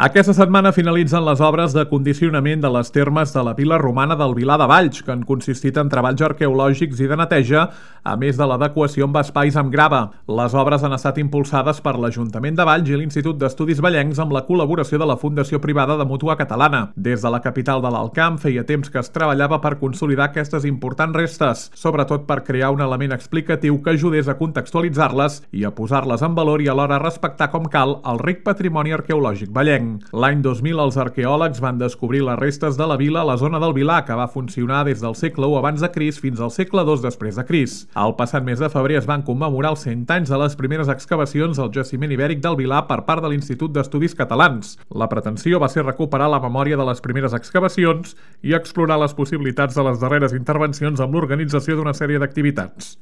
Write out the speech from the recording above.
Aquesta setmana finalitzen les obres de condicionament de les termes de la vila romana del Vilar de Valls, que han consistit en treballs arqueològics i de neteja, a més de l'adequació amb espais amb grava. Les obres han estat impulsades per l'Ajuntament de Valls i l'Institut d'Estudis Vallencs amb la col·laboració de la Fundació Privada de Mútua Catalana. Des de la capital de l'Alt Camp feia temps que es treballava per consolidar aquestes importants restes, sobretot per crear un element explicatiu que ajudés a contextualitzar-les i a posar-les en valor i alhora respectar com cal el ric patrimoni arqueològic vallenc. L'any 2000 els arqueòlegs van descobrir les restes de la vila a la zona del Vilar, que va funcionar des del segle I abans de Crist fins al segle II després de Crist. El passat mes de febrer es van commemorar els 100 anys de les primeres excavacions al jaciment ibèric del Vilar per part de l'Institut d'Estudis Catalans. La pretensió va ser recuperar la memòria de les primeres excavacions i explorar les possibilitats de les darreres intervencions amb l'organització d'una sèrie d'activitats.